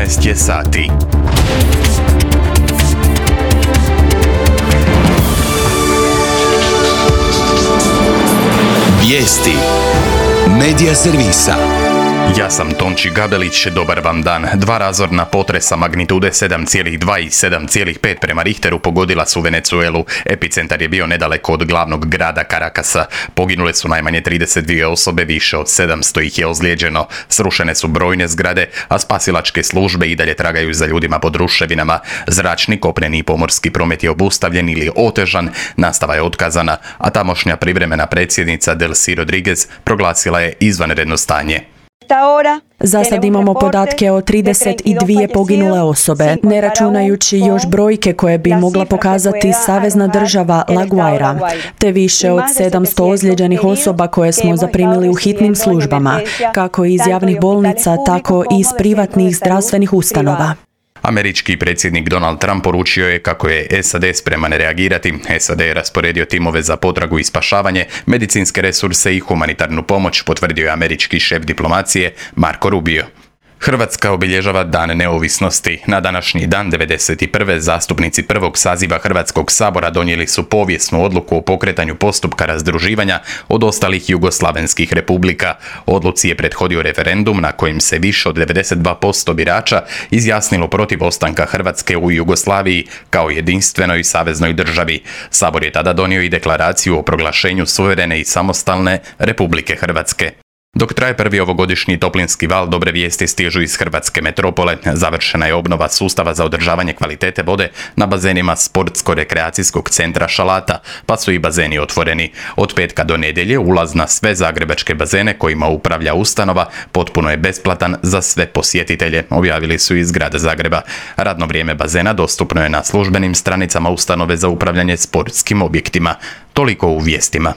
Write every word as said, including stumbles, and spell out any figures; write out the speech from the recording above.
jedanaest je sati. Vijesti Medija servisa. Ja sam Tonči Gabelić, dobar vam dan. Dva razorna potresa magnitude sedam zarez dva i sedam zarez pet prema Richteru pogodila su Venezuelu. Epicentar je bio nedaleko od glavnog grada Caracasa. Poginule su najmanje trideset dvije osobe, više od sedamsto ih je ozlijeđeno. Srušene su brojne zgrade, a spasilačke službe i dalje tragaju za ljudima pod ruševinama. Zračni, kopneni i pomorski promet je obustavljen ili otežan, nastava je otkazana, a tamošnja privremena predsjednica Delcy Rodriguez proglasila je izvanredno stanje. Za sad imamo podatke o trideset dvije poginule osobe, ne računajući još brojke koje bi mogla pokazati savezna država La Guaira, te više od sedamsto ozlijeđenih osoba koje smo zaprimili u hitnim službama, kako iz javnih bolnica, tako i iz privatnih zdravstvenih ustanova. Američki predsjednik Donald Trump poručio je kako je S A D spreman reagirati. S A D je rasporedio timove za potragu i spašavanje, medicinske resurse i humanitarnu pomoć, potvrdio je američki šef diplomacije Marco Rubio. Hrvatska obilježava Dan neovisnosti. Na današnji dan devedeset prve zastupnici prvog saziva Hrvatskog sabora donijeli su povijesnu odluku o pokretanju postupka razdruživanja od ostalih jugoslavenskih republika. Odluci je prethodio referendum na kojem se više od devedeset dva posto birača izjasnilo protiv ostanka Hrvatske u Jugoslaviji kao jedinstvenoj saveznoj državi. Sabor je tada donio i deklaraciju o proglašenju suverene i samostalne Republike Hrvatske. Dok traje prvi ovogodišnji toplinski val, dobre vijesti stižu iz hrvatske metropole. Završena je obnova sustava za održavanje kvalitete vode na bazenima Sportsko-rekreacijskog centra Šalata, pa su i bazeni otvoreni. Od petka do nedjelje ulaz na sve zagrebačke bazene kojima upravlja ustanova potpuno je besplatan za sve posjetitelje, objavili su iz grada Zagreba. Radno vrijeme bazena dostupno je na službenim stranicama ustanove za upravljanje sportskim objektima. Toliko u vijestima.